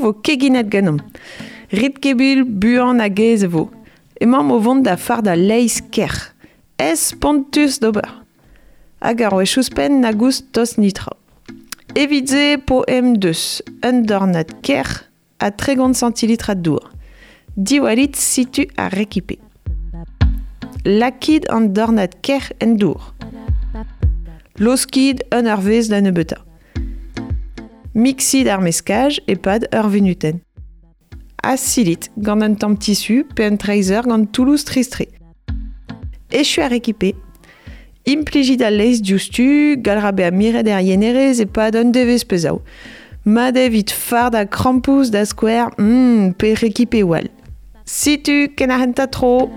vo keginet ganeomp. Rit kebil buan hag aes e vo. Emaomp o vont da fardañ laezh kerc'h. Aes spontus d'ober. Hag ur wech ouzhpenn na goust tost netra. Evit se po em deus un dornad kerc'h ha 30 centilitrad dour. Diwallit situ ar rekipe. Lakit an dornad kerc'h en dour. Laoskit un eurvezh da nebeutañ. Mixit ar meskaj e-pad ur vunutenn. Ha silit gant un tamm tissu pe un traezer gant Toulouse Tristre. Echu ar rekipe. Implijit al laezh diouzhtu, gall ra bezañ miret er yenerez e-pad un devezh pe zaou. Mat eo evit fardañ krampouezh da skouer, pe rekipeoù all. Setu ken ar c'hentañ tro!